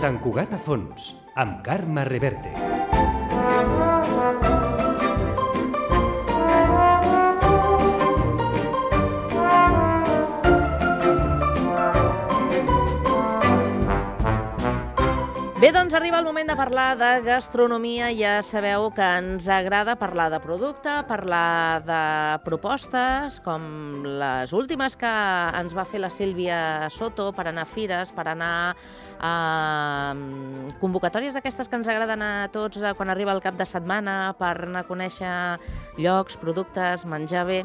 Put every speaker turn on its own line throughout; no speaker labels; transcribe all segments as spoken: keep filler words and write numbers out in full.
Sant Cugat a fons, amb Carme Reverte.
Bé, doncs arriba el moment de parlar de gastronomia. Ja sabeu que ens agrada parlar de producte, parlar de propostes, com les últimes que ens va fer la Sílvia Soto per anar a fires, per anar a convocatòries d'aquestes que ens agraden a tots quan arriba el cap de setmana, per anar a conèixer llocs, productes, menjar bé.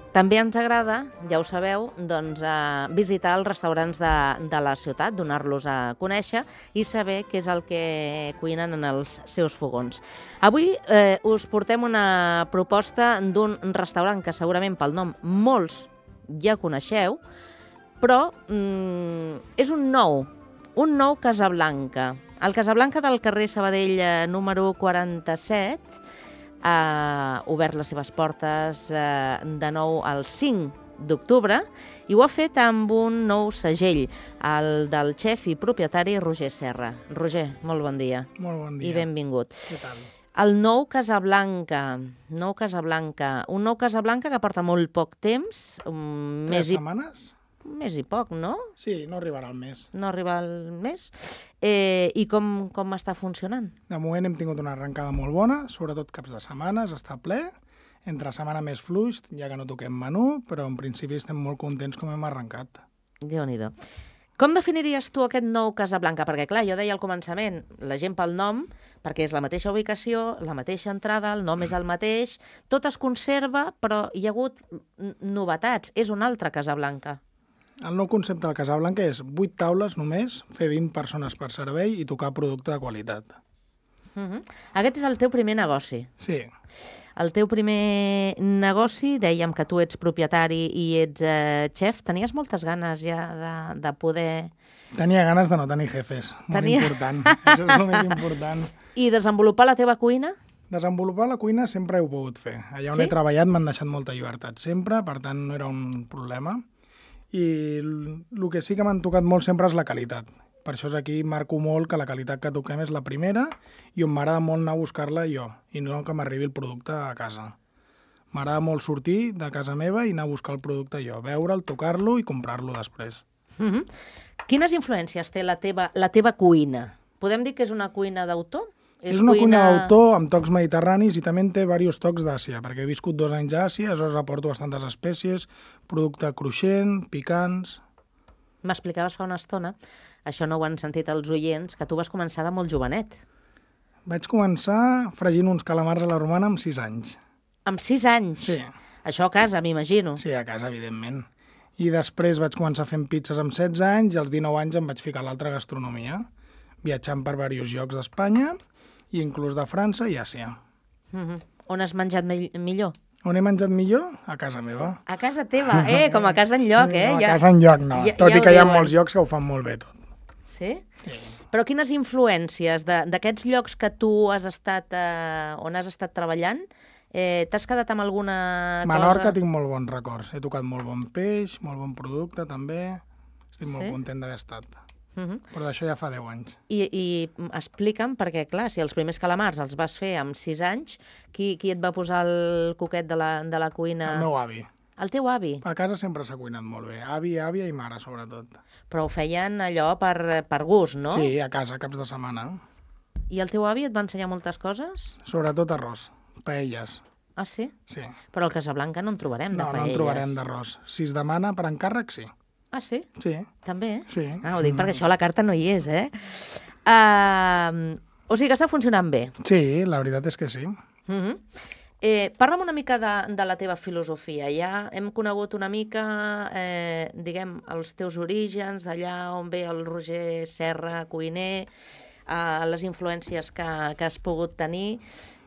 També ens agrada, ja ho sabeu, doncs, eh, visitar els restaurants de, de la ciutat, donar-los a conèixer i saber què és el que cuinen en els seus fogons. Avui eh, us portem una proposta d'un restaurant que segurament pel nom molts ja coneixeu, però mm, és un nou, un nou Casablanca. El Casablanca del carrer Sabadell eh, número quaranta-set, ha obert les seves portes eh, de nou el cinc d'octubre i ho ha fet amb un nou segell, el del xef i propietari Roger Serra. Roger, molt bon dia.
Molt bon dia.
I benvingut.
Què tal?
El nou Casablanca, nou Casablanca, un nou Casablanca que porta molt poc temps. Um,
Tres
més
setmanes?
I... Més i poc, no?
Sí, no arribarà al mes.
No arriba al mes. Eh, I com, com està funcionant?
De moment hem tingut una arrencada molt bona, sobretot caps de setmanes, està ple. Entre setmana més fluix, ja que no toquem menú, però en principi estem molt contents com hem arrencat.
Déu-n'hi-do. Com definiries tu aquest nou Casablanca? Perquè, clar, jo deia al començament, la gent pel nom, perquè és la mateixa ubicació, la mateixa entrada, el nom és el mateix, tot es conserva, però hi ha hagut novetats. És un altre Casablanca.
El nou concepte del Casablanca és vuit taules només, fer vint persones per servei i tocar producte de qualitat.
Uh-huh. Aquest és el teu primer negoci.
Sí.
El teu primer negoci, dèiem que tu ets propietari i ets eh, xef. Tenies moltes ganes ja de, de poder...
Tenia ganes de no tenir jefes, molt
Tenia...
important. Això és el més important.
I desenvolupar la teva cuina?
Desenvolupar la cuina sempre he pogut fer. Allà on
Sí?
he treballat m'han deixat molta llibertat sempre, per tant no era un problema. I el que sí que m'han tocat molt sempre és la qualitat. Per això és aquí marco molt que la qualitat que toquem és la primera i on m'agrada molt anar a buscar-la jo, i no que m'arribi el producte a casa. M'agrada molt sortir de casa meva i anar a buscar el producte jo, veure'l, tocar-lo i comprar-lo després.
Uh-huh. Quines influències té la teva, la teva cuina? Podem dir que és una cuina d'autor?
És, és una cuina d'autor amb tocs mediterranis i també en té diversos tocs d'Àsia, perquè he viscut dos anys a Àsia, aleshores aporto bastantes espècies, producte cruixent, picants...
M'explicaves fa una estona, això no ho han sentit els oients, que tu vas començar de molt jovenet.
Vaig començar fregint uns calamars a la romana amb sis anys.
Amb sis anys?
Sí.
Això a casa, m'imagino.
Sí, a casa, evidentment. I després vaig començar fent pizzas amb setze anys i als dinou anys em vaig ficar a l'altra gastronomia, viatjant per diversos llocs d'Espanya i inclús de França i Àsia.
Uh-huh. On has menjat mi millor?
On he menjat millor? A casa meva.
A casa teva, eh? Com a casa enlloc, eh?
No, a
ja...
casa enlloc no,
ja,
tot
ja
i que hi ha
diuen.
molts llocs que ho fan molt bé tot.
Sí?
Sí.
Però quines influències d'aquests llocs que tu has estat, eh, on has estat treballant, eh, t'has quedat amb alguna
Menorca
cosa?
tinc molt bons records. He tocat molt bon peix, molt bon producte també. Estic molt
Sí?
content d'haver estat.
Uh-huh.
Però d'això ja fa deu anys.
I, i explica'm, perquè clar, si els primers calamars els vas fer amb sis anys, qui, qui et va posar el coquet de la, de la cuina?
El meu avi.
El teu avi?
A casa sempre s'ha cuinat molt bé. Avi, àvia i mare, sobretot.
Però ho feien allò per, per gust, no?
Sí, a casa, caps de setmana.
I el teu avi et va ensenyar moltes coses?
Sobretot arròs, paelles.
Ah, sí?
Sí.
Però al Casablanca no en trobarem de
No, no
paelles.
en trobarem d'arròs. Si es demana per encàrrec, sí.
Ah, sí?
Sí.
També?
Sí.
Ah, ho dic perquè això a la carta no hi és, eh? Uh, o sigui que està funcionant bé.
Sí, la veritat és que sí.
Uh -huh. eh, parla'm una mica de, de la teva filosofia. Ja hem conegut una mica, eh, diguem, els teus orígens, d'allà on ve el Roger Serra, cuiner, eh, les influències que, que has pogut tenir.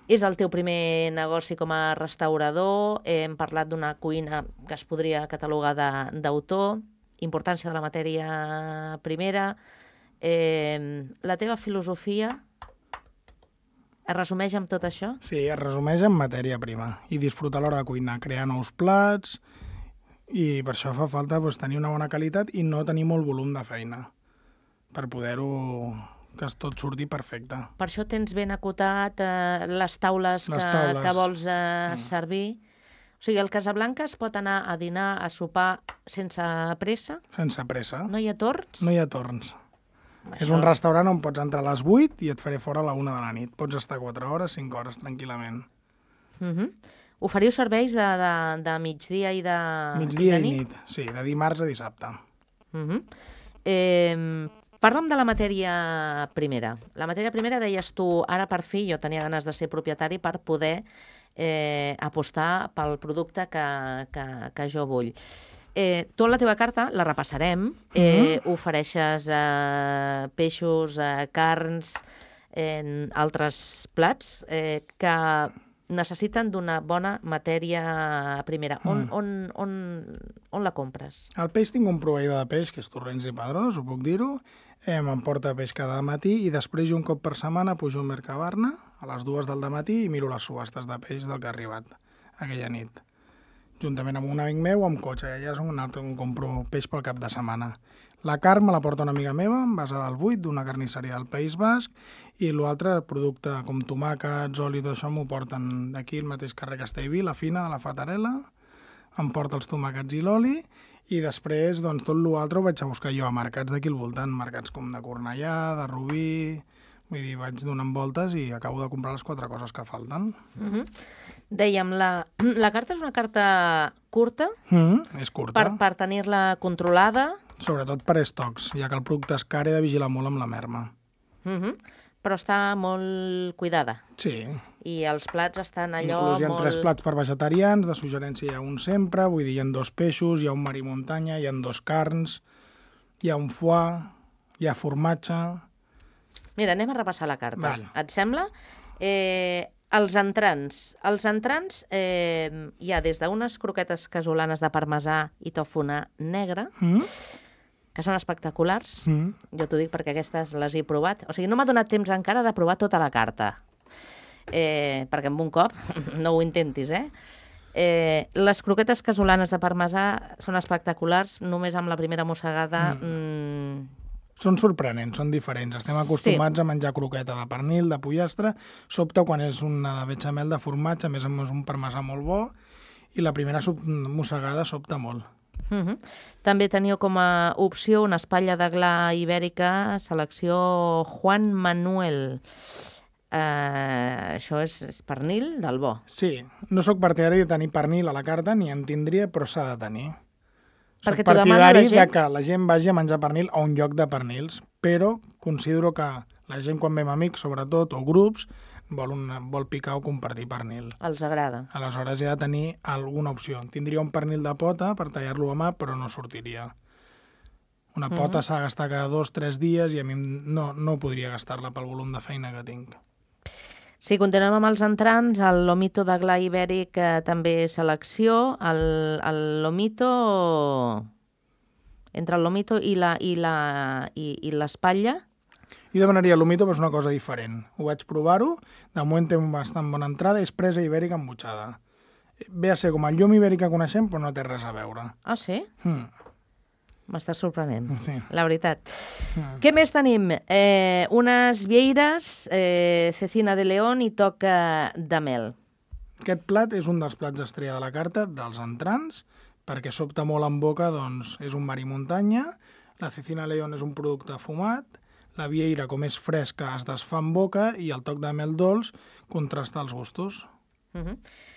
És el teu primer negoci com a restaurador. Eh, hem parlat d'una cuina que es podria catalogar d'autor. Importància de la matèria primera. Eh, la teva filosofia es resumeix amb tot això?
Sí, es resumeix en matèria prima. I disfrutar a l'hora de cuinar, crear nous plats, i per això fa falta doncs, tenir una bona qualitat i no tenir molt volum de feina per poder-ho que es tot surti perfecte.
Per això tens ben acotat eh, les taules,
Les
que,
taules.
que vols eh,
Mm.
servir. O sigui, el Casablanca es pot anar a dinar, a sopar sense pressa?
Sense pressa.
No hi ha torns?
No hi ha torns.
Això-
És un restaurant on pots entrar a les vuit i et faré fora a la una de la nit. Pots estar quatre hores, cinc hores, tranquil·lament.
Mhm. Oferiu serveis de, de, de migdia i de,
Migdia
i
i
de
nit. Sí, de dimarts a dissabte.
Mhm. Eh, Parla'm de la matèria primera. La matèria primera, deies tu, ara per fi jo tenia ganes de ser propietari per poder eh, apostar pel producte que, que, que jo vull. Eh, tu en la teva carta, la repassarem, eh, ofereixes eh, peixos, eh, carns, eh, altres plats eh, que necessiten d'una bona matèria primera. On, on, on, on la compres?
Al peix tinc un proveïdor de peix, que és Torrents i Padrós, ho puc dir-ho. Eh, M'emporta peix cada matí i després jo un cop per setmana pujo al Mercabarna a les dues del matí i miro les subhastes de peix del que ha arribat aquella nit. Juntament amb un amic meu, amb cotxe. Allà és un altre on compro peix pel cap de setmana. La carn me la porta una amiga meva, basada al buit, d'una carnisseria del País Basc, i l'altre, producte com tomàquets, oli, tot això, m'ho porten d'aquí, el mateix carrer Castellví, la fina de la Fatarella, em porta els tomàquets i l'oli, i després, doncs, tot l'altre ho vaig a buscar jo a mercats d'aquí al voltant, mercats com de Cornellà, de Rubí... Vull dir, vaig donant voltes i acabo de comprar les quatre coses que falten.
Mhm. Dèiem, la, la carta és una carta curta
Mm, és curta.
per, per tenir-la controlada,
Sobretot per estocs, ja que el producte és car, he de vigilar molt amb la merma.
mhm, però està molt cuidada.
Sí,
I els plats estan allò
inclús hi ha
molt...
tres plats per vegetarians, de suggerència hi ha un sempre, vull dir, hi ha dos peixos, hi ha un marí muntanya, hi ha dos carns, hi ha un foie, hi ha formatge...
Mira, anem a repassar la carta.
Val.
Et sembla? Eh, els entrants. Els entrants eh, hi ha des d'unes croquetes casolanes de parmesà i tòfona negre,
Mm?
que són espectaculars.
Mm.
Jo t'ho dic perquè aquestes les he provat. O sigui, no m'ha donat temps encara de provar tota la carta. Eh, perquè amb un cop, no ho intentis, eh? Eh, les croquetes casolanes de parmesà són espectaculars, només amb la primera mossegada... Mm.
Són sorprenents, són diferents. Estem acostumats sí. a menjar croqueta de pernil, de pollastre, sobta quan és una de bechamel de formatge, a més a més un parmesà molt bo, i la primera mossegada sobta molt.
Uh-huh. També teniu com a opció una espatlla de gla ibèrica, selecció Juan Manuel. Uh, això és, és pernil del bo.
Sí, no sóc partidari de tenir pernil a la carta, ni en tindria, però s'ha de tenir. Soc
Perquè t'ho demana la
partidari
gent?
de que la gent vagi a menjar pernil a un lloc de pernils, però considero que la gent quan ve amb amics, sobretot, o grups, vol, una, vol picar o compartir pernil.
Els agrada.
Aleshores hi ha de tenir alguna opció. Tindria un pernil de pota per tallar-lo a mà, però no sortiria. Una pota
Mhm.
s'ha de gastar cada dos o tres dies i a mi no, no podria gastar-la pel volum de feina que tinc.
Si continuem amb els entrants, el lomito de gla ibèric eh, també selecció. El, el lomito... Entre el lomito i la i la i, i l'espatlla,
Jo demanaria l'humito, però és una cosa diferent. Ho vaig provar-ho, de moment té bastant bona entrada, és presa ibèrica embutxada. Ve a ser com el llom ibèric que coneixem, però no té res a veure.
ah, sí?
Mm.
M'estàs sorprenent,
Sí.
la veritat.
Mm.
Què més tenim? Eh, unes vieires, eh, cecina de león i toc eh, de mel.
Aquest plat és un dels plats estrella de la carta, dels entrants, perquè sobta molt en boca, doncs és un mar i muntanya, la cecina león és un producte fumat, la vieira, com és fresca, es desfà en boca i el toc de mel dolç contrasta els gustos.
Uh -huh.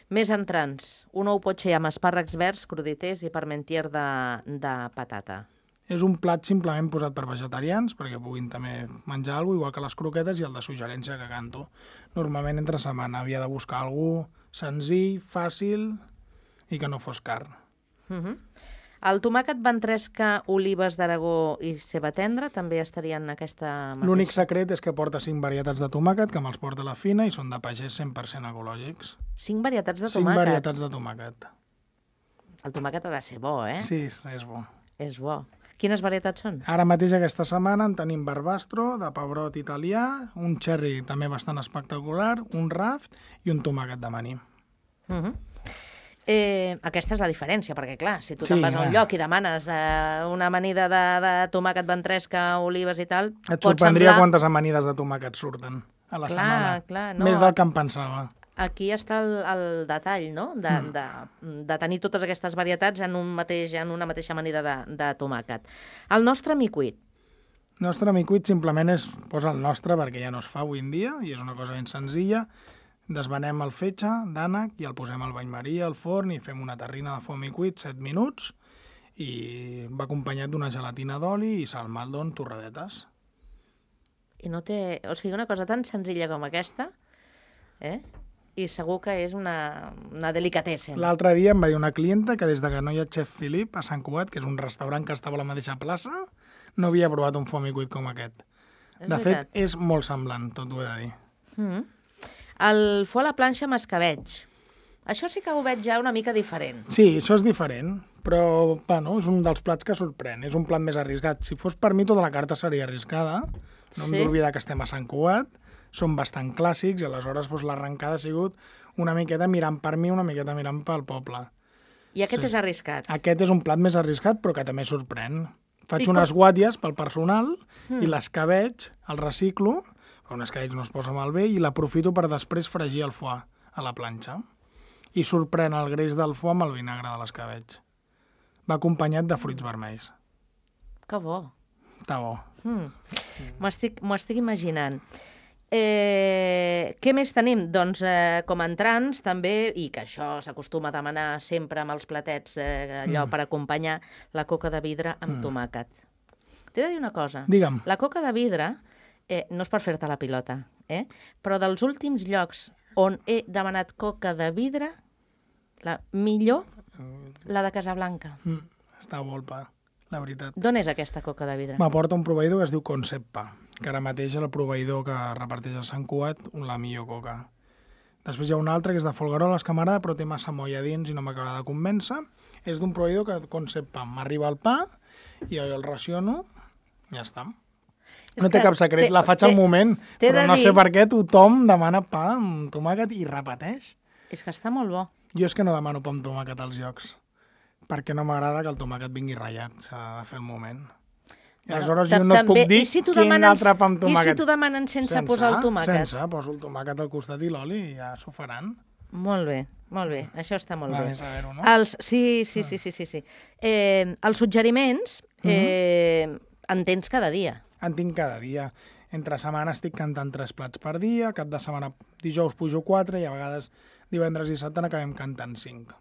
Més entrants. Un ou potxer amb espàrrecs verds, cruditers i parmentier de, de patata.
És un plat simplement posat per vegetarians, perquè puguin també menjar alguna cosa, igual que les croquetes i el de suggerència que canto. Normalment entre setmana havia de buscar alguna cosa senzill, fàcil i que no fos car.
Uh -huh. El tomàquet ventresca, olives d'Aragó i ceba tendra també estarien en aquesta mateixa.
L'únic secret és que porta cinc varietats de tomàquet, que me'ls porta a la fina i són de pagès cent per cent ecològics.
Cinc varietats de
Cinc
tomàquet.
varietats de tomàquet.
El tomàquet ha de ser bo, eh?
Sí, és bo.
És bo. Quines varietats són?
Ara mateix aquesta setmana en tenim barbastro, de pebrot italià, un cherry també bastant espectacular, un raft i un tomàquet de maní.
Uh -huh. Eh, aquesta és la diferència, perquè clar, si tu
Sí,
te'n vas a un
clar.
lloc i demanes eh, una amanida de, de tomàquet, ventresca, olives i tal,
Et
pot
sorprendria
semblar...
quantes amanides de tomàquet surten a la
Clar,
setmana.
clar, no,
Més del que em pensava.
Aquí està el, el detall, no?, de,
Mm.
de, de tenir totes aquestes varietats en, un mateix, en una mateixa amanida de, de tomàquet. El nostre micuit.
Nostre micuit simplement és, posa el nostre perquè ja no es fa avui en dia i és una cosa ben senzilla. Desvenem el fetge d'ànec i el posem al bany maria, al forn i fem una terrina de foam micuit, set minuts, i va acompanyat d'una gelatina d'oli i salmaldó en torradetes.
I no té... O sigui, una cosa tan senzilla com aquesta, eh? I segur que és una, una delicatessen.
L'altre dia em va dir una clienta que des de que no hi ha Chef Philip a Sant Cugat, que és un restaurant que estava a la mateixa plaça, no havia provat un foam micuit com aquest.
És
De fet,
veritat.
és molt semblant, tot ho he de dir.
Mm. El fo a la planxa amb escabeig. Això sí que ho veig ja una mica diferent.
Sí, això és diferent, però bueno, és un dels plats que sorprèn. És un plat més arriscat. Si fos per mi, tota la carta seria arriscada. No hem
Sí?
d'oblidar que estem a Sant Cugat, són bastant clàssics i aleshores doncs, l'arrencada ha sigut una miqueta mirant per mi, una miqueta mirant pel poble.
I aquest
Sí.
és arriscat.
Aquest és un plat més arriscat, però que també sorprèn. Faig
I com-
unes guàties pel personal mm. i l'escabeig el reciclo, però un escabeig no es posa malbé, i l'aprofito per després fregir el foie a la planxa. I sorprèn el greix del foie amb el vinagre de l'escabeig. Va acompanyat de fruits vermells.
Que bo.
Està bo.
Mm. M'ho estic, m'ho estic imaginant. Eh, què més tenim? Doncs eh, com a entrants també, i que això s'acostuma a demanar sempre amb els platets, eh, allò
Mm.
per acompanyar la coca de vidre amb
Mm.
tomàquet. T'he de dir una cosa.
Digue'm.
La coca de vidre, eh, no és per fer-te la pilota, eh? però dels últims llocs on he demanat coca de vidre, la millor, la de Casablanca.
Mm. Està volpa, la veritat.
D'on és aquesta coca de vidre?
M'aporta un proveïdor que es diu Conceppa, que ara mateix és el proveïdor que reparteix a Sant Cugat la millor coca. Després hi ha un altre que és de Folgueroles, que m'agrada, però té massa molla dins i no m'acaba de convèncer. És d'un proveïdor que Conceppa. M'arriba el pa i jo el raciono, ja està.
És
No té
que
cap secret,
té-
la faig
té-
al moment,
t'he
però
de
no
dir-
sé per què tothom demana pa amb tomàquet i repeteix.
És que està molt bo.
Jo és que no demano pa amb tomàquet als llocs, perquè no m'agrada que el tomàquet vingui ratllat, s'ha de fer el moment. I aleshores
Ta-
jo no et puc
també-
dir
i si t'ho
quin
demanen-
altre pa amb
I
tomàquet.
si t'ho demanen sense, posar el tomàquet?
Sense, poso el tomàquet al costat i l'oli i ja s'ho faran.
Molt bé, molt bé. Això està molt
Va,
bé.
vés a veure-ho, no?
Els, sí, sí, sí, sí, sí, sí. Eh, els suggeriments eh, en tens cada dia.
En tinc cada dia. Entre setmana estic cantant tres plats per dia, cap de setmana dijous pujo quatre i a vegades divendres i dissabte n'acabem cantant cinc.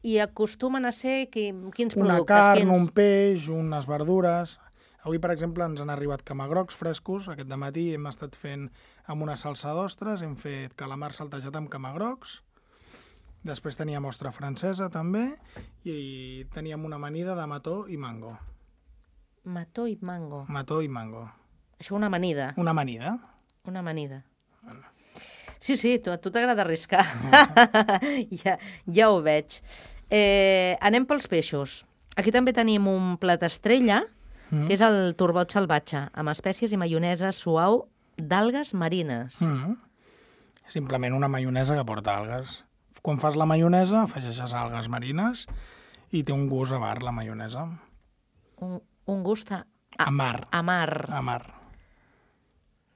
I acostumen a ser qui, quins
Una
productes?
carn,
quins...
un peix, unes verdures. Avui, per exemple, ens han arribat camagrocs frescos. Aquest matí hem estat fent amb una salsa d'ostres, hem fet calamar saltejat amb camagrocs. Després teníem ostra francesa, també, i teníem una amanida de mató i mango.
Mató i mango.
Mató i mango.
Això una amanida.
Una amanida.
Una amanida. Sí, sí, tu, a tu t'agrada arriscar. ja, ja ho veig. Eh, anem pels peixos. Aquí també tenim un plat estrella,
Mm.
que és el turbot salvatge, amb espècies i maionesa suau d'algues marines.
Mm. Simplement una maionesa que porta algues. Quan fas la maionesa, afegeixes algues marines i té un gust amar, la maionesa.
Un, un gust a, a,
Amar.
amar.
Amar.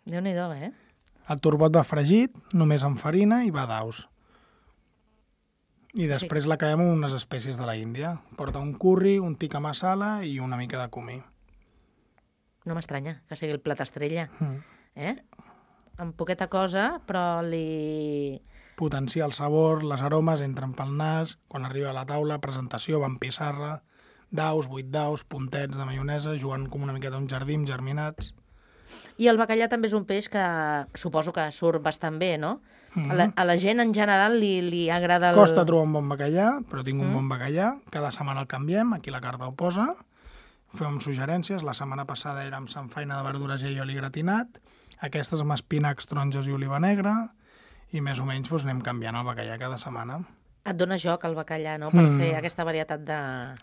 Déu-n'hi-do, eh?
El turbot va fregit, només amb farina i va d'aus. I després l'acabem amb unes espècies de la Índia. Porta un curri, un tikka masala i una mica de comí.
No m'estranya que sigui el plat estrella.
Mm.
Eh? Amb poqueta cosa, però li...
Potenciar el sabor, les aromes entren pel nas, quan arriba a la taula, presentació, va amb pissarra, daus, vuit daus, puntets de maionesa, jugant com una miqueta a un jardí amb germinats.
I el bacallà també és un peix que suposo que surt bastant bé, no?
Mm.
A, la, a la gent en general li, li agrada el...
Costa trobar un bon bacallà, però tinc un
Mm.
bon bacallà. Cada setmana el canviem, aquí la carta ho posa. Fem suggerències. La setmana passada era amb samfaina de verdures i oli gratinat. Aquestes amb espinacs, taronges i oliva negra. I més o menys doncs, anem canviant el bacallà cada setmana.
Et dona joc el bacallà, no?, per
Mm.
fer aquesta varietat de...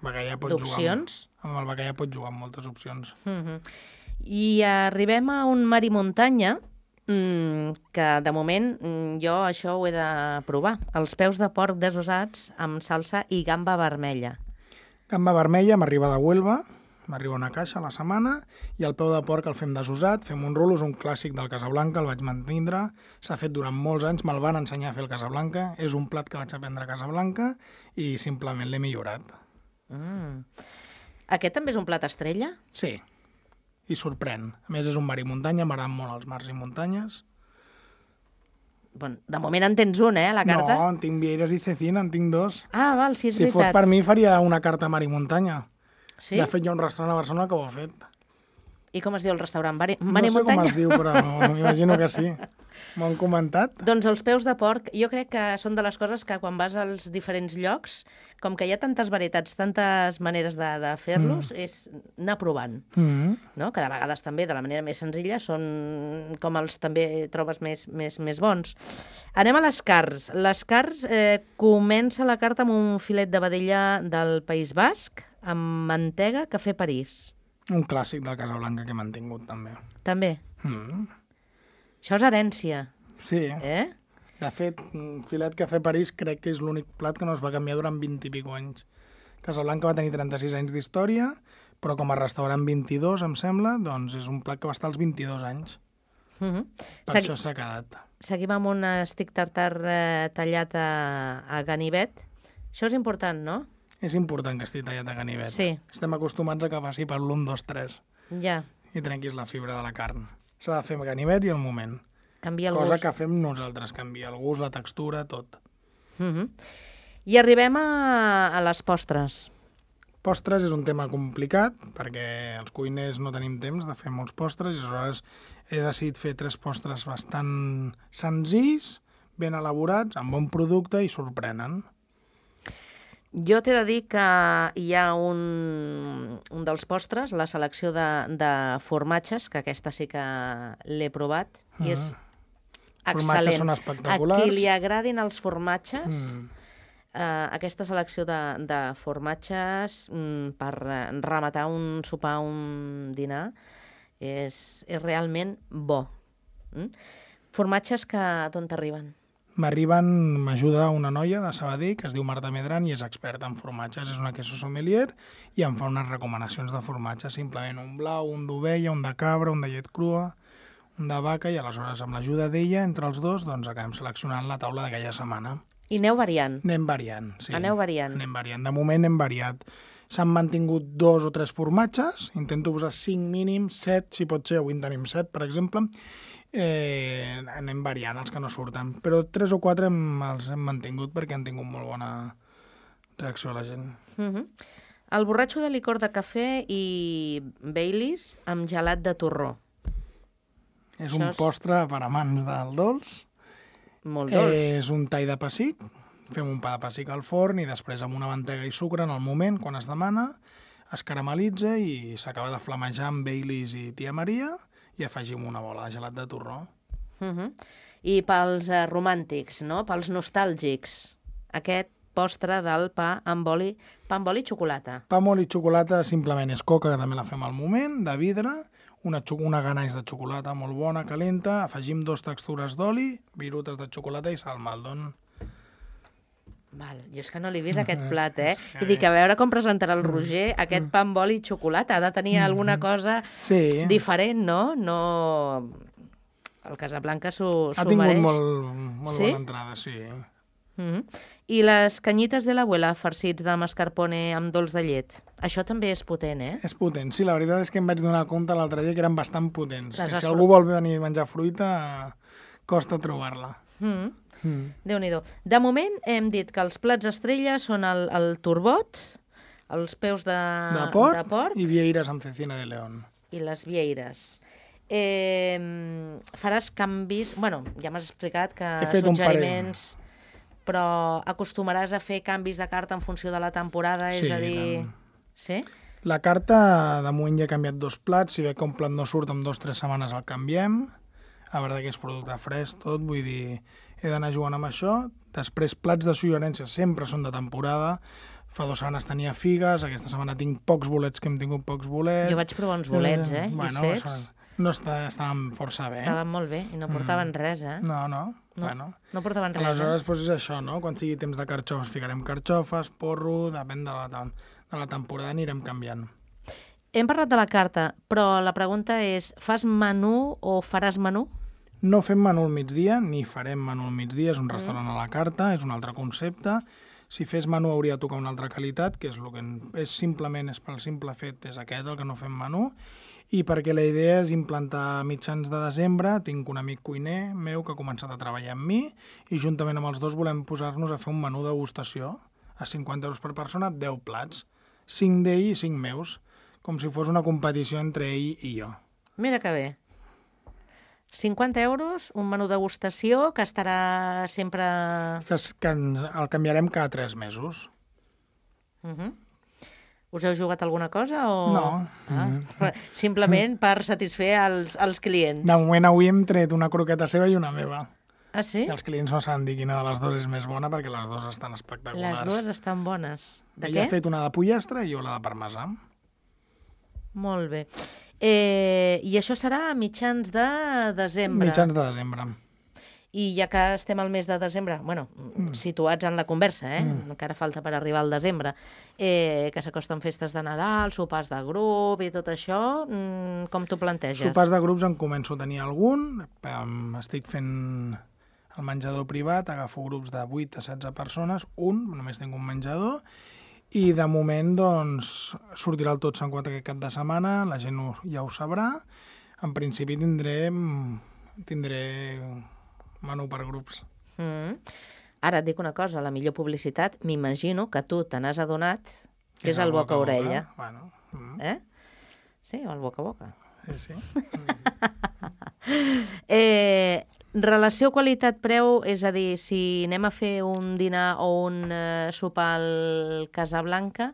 Bacallà pot
d'opcions.
Jugar amb, amb el bacallà pot jugar amb moltes opcions.
Mm -hmm. I arribem a un mar i muntanya, mm, que de moment mm, jo això ho he de provar. Els peus de porc desossats amb salsa i gamba vermella.
Gamba vermella m'arriba de Huelva, m'arriba una caixa a la setmana, i el peu de porc el fem desossat, fem un rulo, és un clàssic del Casablanca, el vaig mantindre, s'ha fet durant molts anys, me'l van ensenyar a fer el Casablanca, és un plat que vaig aprendre a Casablanca i simplement l'he millorat.
Mm. Aquest també és un plat estrella?
Sí, i sorprèn. A més, és un mar i muntanya, m'agraden molt els mars i muntanyes.
Bon, de moment en tens un, eh, a la carta?
No, en tinc vieiras i cecina, en tinc dos.
Ah, val, sí, és
si
veritat.
fos per mi, faria una carta mar i muntanya.
Sí?
De fet, hi ha un restaurant a Barcelona que ho ha fet.
I com es diu el restaurant? Mar i,
No
mar i
sé
muntanya?
com es diu, però m'imagino que sí. M'ho han comentat.
Doncs els peus de porc, jo crec que són de les coses que quan vas als diferents llocs, com que hi ha tantes varietats, tantes maneres de, de fer-los, mm. és anar provant.
Mm.
No? Que de vegades també, de la manera més senzilla, són com els també trobes més, més, més bons. Anem a les carns. Les carns eh, comença la carta amb un filet de vedella del País Basc, amb mantega, cafè París.
Un clàssic del Casablanca que he mantingut, també.
També.
Mm.
Això és herència,
Sí.
eh?
De fet, un filet cafè París crec que és l'únic plat que no es va canviar durant vint i pico anys. Casablanca va tenir trenta-sis anys d'història, però com a restaurant vint-i-dos, em sembla, doncs és un plat que va estar als vint-i-dos anys.
Uh -huh.
Per
Segui...
això s'ha quedat.
Seguim amb un estic tartar eh, tallat a, a ganivet. Això és important, no?
És important que estigui tallat a ganivet.
Sí.
Estem acostumats a que faci per l'un, dos, tres
Ja,
i trenquis la fibra de la carn. S'ha de fer amb ganivet i al moment.
canvia el
Cosa
gust.
que fem nosaltres, canvia el gust, la textura, tot.
Uh -huh. I arribem a, a les postres.
Postres és un tema complicat, perquè els cuiners no tenim temps de fer molts postres, i aleshores he decidit fer tres postres bastant senzills, ben elaborats, amb bon producte i sorprenen.
Jo t'he de dir que hi ha un, un dels postres, la selecció de, de formatges, que aquesta sí que l'he provat, i és
Formatges són
excel·lent.
espectaculars.
A qui li agradin els formatges,
Mm.
eh, aquesta selecció de, de formatges mm, per eh, rematar un sopar, un dinar, és, és realment bo. Mm? Formatges que d'on t'arriben?
M'arriben, m'ajuda una noia de Sabadell que es diu Marta Medran i és experta en formatges, és una queso sommelier i em fa unes recomanacions de formatges, simplement un blau, un d'ovella, un de cabra, un de llet crua, un de vaca, i aleshores amb l'ajuda d'ella, entre els dos, doncs acabem seleccionant la taula d'aquella setmana.
I aneu variant.
Anem variant, sí.
Aneu variant.
Anem variant. De moment hem variat. S'han mantingut dos o tres formatges, intento posar cinc mínims, set, si pot ser, avui en tenim set, per exemple. Eh, anem variant els que no surten, però tres o quatre hem, els hem mantingut perquè han tingut molt bona reacció a la gent.
Uh -huh. El borratxo de licor de cafè i Baileys amb gelat de torró.
És
Això
un
és-
postre per amants del dolç.
Molt dolç.
Eh, és un tall de pessic, fem un pa de pessic al forn i després amb una mantega i sucre en el moment, quan es demana, es caramelitza i s'acaba de flamejar amb Baileys i Tia Maria i afegim una bola de gelat de torró.
Uh -huh. I pels eh, romàntics, no? Pels nostàlgics, aquest postre del pa amb oli, pa amb oli i xocolata.
Pa amb oli i xocolata simplement és coca, que també la fem al moment, de vidre, una, una ganaix de xocolata molt bona, calenta, afegim dos textures d'oli, virutes de xocolata i sal Maldon.
Val, jo és que no l'he vist aquest plat, eh? I dic, a veure com presentarà el Roger aquest pa amb oli i xocolata. Ha de tenir alguna cosa
Sí.
diferent, no? No... El Casablanca s'ho
Ha
s'ho
tingut
mereix.
molt, molt
Sí?
bona entrada, sí.
Mm -hmm. I les canyites de l'abuela farcits de mascarpone amb dolç de llet. Això també és potent, eh?
És potent. Sí, la veritat és que em vaig donar compte l'altre dia que eren bastant potents.
Les
Que
has
si algú vol venir a menjar fruita, costa trobar-la.
Mm -hmm.
Mm.
Déu-n'hi-do. De moment hem dit que els plats estrella són el, el turbot, els peus de,
De porc,
de porc
i vieiras amb cecina de león.
i les vieires. Eh, faràs canvis... Bueno, ja m'has explicat que
He fet un
suggeriments... Però acostumaràs a fer canvis de carta en funció de la temporada, és
Sí,
a dir...
tant.
Sí?
La carta, de moment ja he canviat dos plats. Si ve que un plat no surt, en dues o tres setmanes el canviem. A veure que és producte fresc, tot. Vull dir, he d'anar jugant amb això. Després, plats de suggerències sempre són de temporada. Fa dues setmanes tenia figues, aquesta setmana tinc pocs bolets, que hem tingut pocs bolets.
Jo vaig provar uns bolets, eh?
Bueno,
I secs.
són- No està, estaven força bé.
Estaven molt bé i no portaven mm. res, eh?
No, no.
No,
Bueno.
no portaven res,
Aleshores,
eh?
doncs és això, no? Quan sigui temps de carxofes ficarem carxofes, porro, depèn de la, de la temporada anirem canviant.
Hem parlat de la carta, però la pregunta és, fas menú o faràs menú?
No fem menú al migdia, ni farem menú al migdia, és un restaurant mm. a la carta, és un altre concepte. Si fes menú hauria de tocar una altra qualitat, que és el que és simplement, és pel simple fet, és aquest el que no fem menú, i perquè la idea és implantar mitjans de desembre, tinc un amic cuiner meu que ha començat a treballar amb mi, i juntament amb els dos volem posar-nos a fer un menú degustació, a cinquanta euros per persona, deu plats, cinc d'ell i cinc meus, com si fos una competició entre ell i jo.
Mira que bé. cinquanta euros, un menú degustació que estarà sempre...
Que, es, que el canviarem cada tres mesos.
Uh -huh. Us heu jugat alguna cosa o...?
No.
Ah, mm. Simplement per satisfer els, els clients.
De moment avui hem tret una croqueta seva i una meva.
Ah, sí?
I els clients no saben dir quina de les dues és més bona perquè les dues estan espectaculars.
Les dues estan bones. De
Ella
què?
ha fet una de pollastre i jo la de parmesà.
Molt bé. Eh, I això serà a mitjans de desembre.
Mitjans de desembre.
I ja que estem al mes de desembre, bueno, mm. situats en la conversa, eh? Mm. encara falta per arribar al desembre, eh, que s'acosten festes de Nadal, sopars de grup i tot això, mm, com t'ho planteges?
Sopars de grups en començo a tenir algun, estic fent el menjador privat, agafo grups de vuit a setze persones, un, només tinc un menjador, i de moment doncs, sortirà el Tot Sant Quat aquest cap de setmana, la gent ho, ja ho sabrà. En principi tindré, tindré menú per grups.
Mm. Ara et dic una cosa, la millor publicitat, m'imagino que tu te n'has adonat, que és el boca a orella.
Bueno, mm.
Eh? Sí, o el boca a boca.
Sí, sí.
eh, relació qualitat-preu, és a dir, si anem a fer un dinar o un eh, sopar al Casablanca,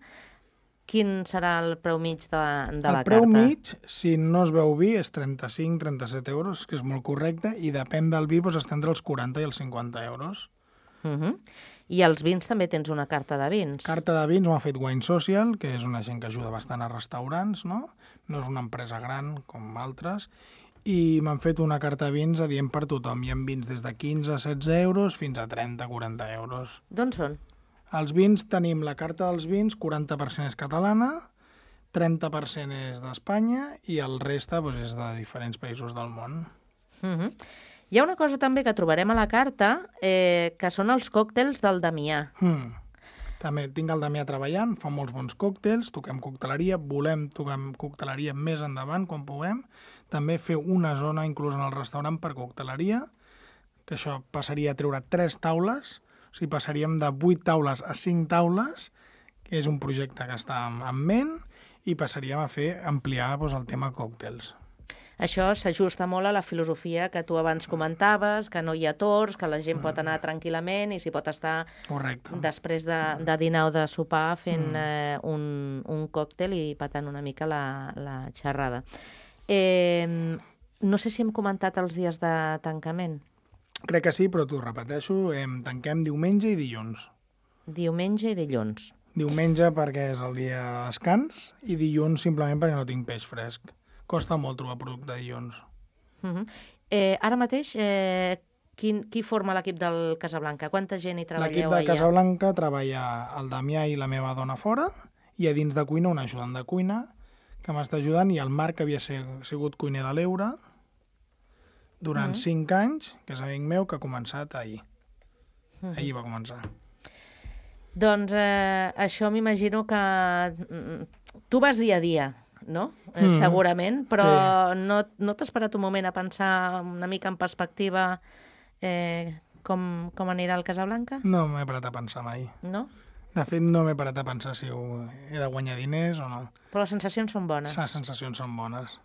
quin serà el preu mig de, de la carta?
El preu mig, si no es veu vi, és trenta-cinc a trenta-set euros, que és molt correcte, i depèn del vi, doncs està entre els quaranta i els cinquanta euros.
Uh -huh. I els vins també tens una carta de vins.
Carta de vins m'ha fet Wine Social, que és una gent que ajuda bastant a restaurants, no? No és una empresa gran com altres, i m'han fet una carta de vins adient per tothom. Hi ha vins des de quinze a setze euros fins a trenta a quaranta euros.
D'on són?
Els vins tenim la carta dels vins, quaranta per cent és catalana, trenta per cent és d'Espanya i el reste doncs, és de diferents països del món.
Uh -huh. Hi ha una cosa també que trobarem a la carta, eh, que són els còctels del Damià.
Hmm. També tinc el Damià treballant, fa molts bons còctels, toquem cocteleria, volem tocar cocteleria més endavant quan puguem. També fer una zona inclús en el restaurant per cocteleria, que això passaria a treure tres taules, o sigui, passaríem de vuit taules a cinc taules, que és un projecte que està en ment, i passaríem a fer ampliar doncs, el tema còctels.
Això s'ajusta molt a la filosofia que tu abans comentaves, que no hi ha torns, que la gent mm. pot anar tranquil·lament i s'hi pot estar
Correcte.
després de, de dinar o de sopar fent mm. eh, un, un còctel i patant una mica la, la xerrada. Eh, no sé si hem comentat els dies de tancament.
Crec que sí, però t'ho repeteixo, eh, tanquem diumenge i dilluns.
Diumenge i dilluns.
Diumenge perquè és el dia de descans i dilluns simplement perquè no tinc peix fresc. Costa molt trobar producte dilluns.
Uh -huh. eh, ara mateix, eh, quin, qui forma l'equip del Casablanca? Quanta gent hi treballeu allà?
L'equip del Casablanca treballa el Damià i la meva dona fora, i a dins de cuina un ajudant de cuina que m'està ajudant, i el Marc, que havia sigut cuiner de l'Eure durant uh -huh. cinc anys, que és amic meu, que ha començat ahir. Uh -huh. Ahir va començar.
Doncs eh, això m'imagino que tu vas dia a dia, no? Mm. Segurament, però sí. no, no t'has parat un moment a pensar una mica en perspectiva eh, com, com anirà el Casablanca?
No m'he parat a pensar mai.
No?
De fet, no m'he parat a pensar si he de guanyar diners o no.
Però les sensacions són bones.
Les sensacions són bones.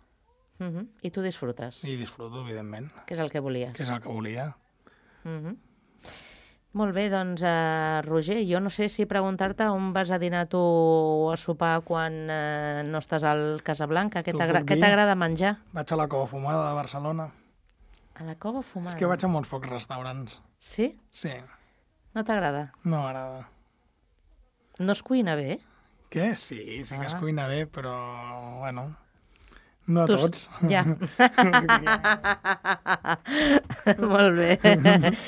Uh -huh. I tu disfrutes?
I disfruto, evidentment.
Que és el que volies.
Que és el que volia.
Uh -huh. Molt bé, doncs, uh, Roger, jo no sé si preguntar-te on vas a dinar tu o a sopar quan uh, no estàs al Casablanca. Què t'agrada menjar?
Vaig a la Cova Fumada de Barcelona.
A la Cova Fumada?
És que vaig a molts pocs restaurants.
Sí?
Sí.
No t'agrada?
No m'agrada.
No es cuina bé?
Què? Sí, sí que ah. es cuina bé, però, bueno, No a
Tu-
tots.
Ja. Molt bé.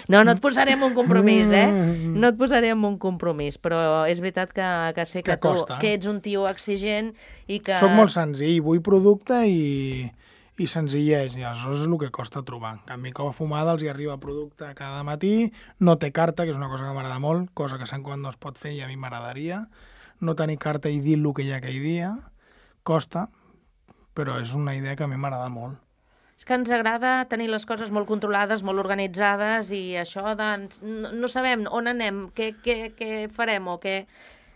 No, no et posaré en un compromís, eh? No et posaré en un compromís, però és veritat que, que sé que,
Que
tu
costa.
que ets un tio exigent i que...
Soc molt senzill, vull producte i, i senzillesa, i aleshores és el que costa trobar. En canvi, Cova Fumada els hi arriba producte cada matí, no té carta, que és una cosa que m'agrada molt, cosa que Sant quan no es pot fer i a mi m'agradaria. No tenir carta i dir el que hi ha aquell dia, costa, però és una idea que a mi m'agrada molt.
És que ens agrada tenir les coses molt controlades, molt organitzades, i això de... No, no sabem on anem, què, què, què farem o què...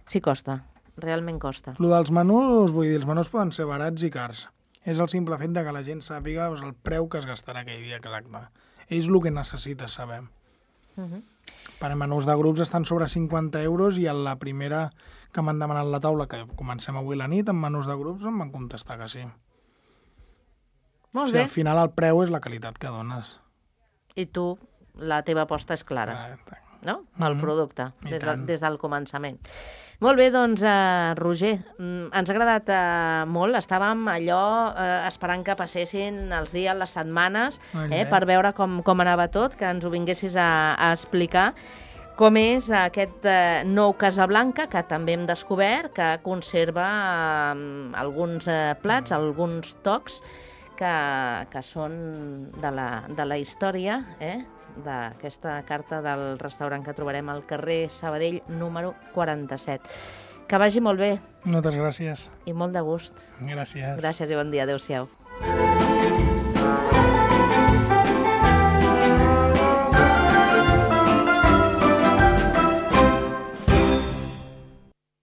Sí, costa, realment costa.
Lo dels menús, vull dir, els menús poden ser barats i cars. És el simple fet de que la gent sàpiga doncs, el preu que es gastarà aquell dia que l'acte. És el que necessita saber.
Uh -huh.
Per menús de grups estan sobre cinquanta euros i a la primera que m'han demanat la taula, que comencem avui la nit, amb menús de grups em van contestar que sí.
Molt
O sigui,
bé.
al final el preu és la qualitat que dones.
I tu, la teva aposta és clara,
Eh,
no? El
Mhm.
producte,
I
des, de,
tant.
des del començament. Molt bé, doncs, uh, Roger, mm, ens ha agradat uh, molt. Estàvem allò uh, esperant que passessin els dies, les setmanes,
Molt
eh,
bé.
per veure com, com anava tot, que ens ho vinguessis a, a explicar. Com és aquest eh, nou Casablanca, que també hem descobert, que conserva eh, alguns eh, plats, alguns tocs, que, que són de la, de la història, eh? d'aquesta carta del restaurant que trobarem al carrer Sabadell número quaranta-set. Que vagi molt bé
Moltes gràcies.
i molt de gust.
Gràcies.
Gràcies i bon dia. Adéu-siau.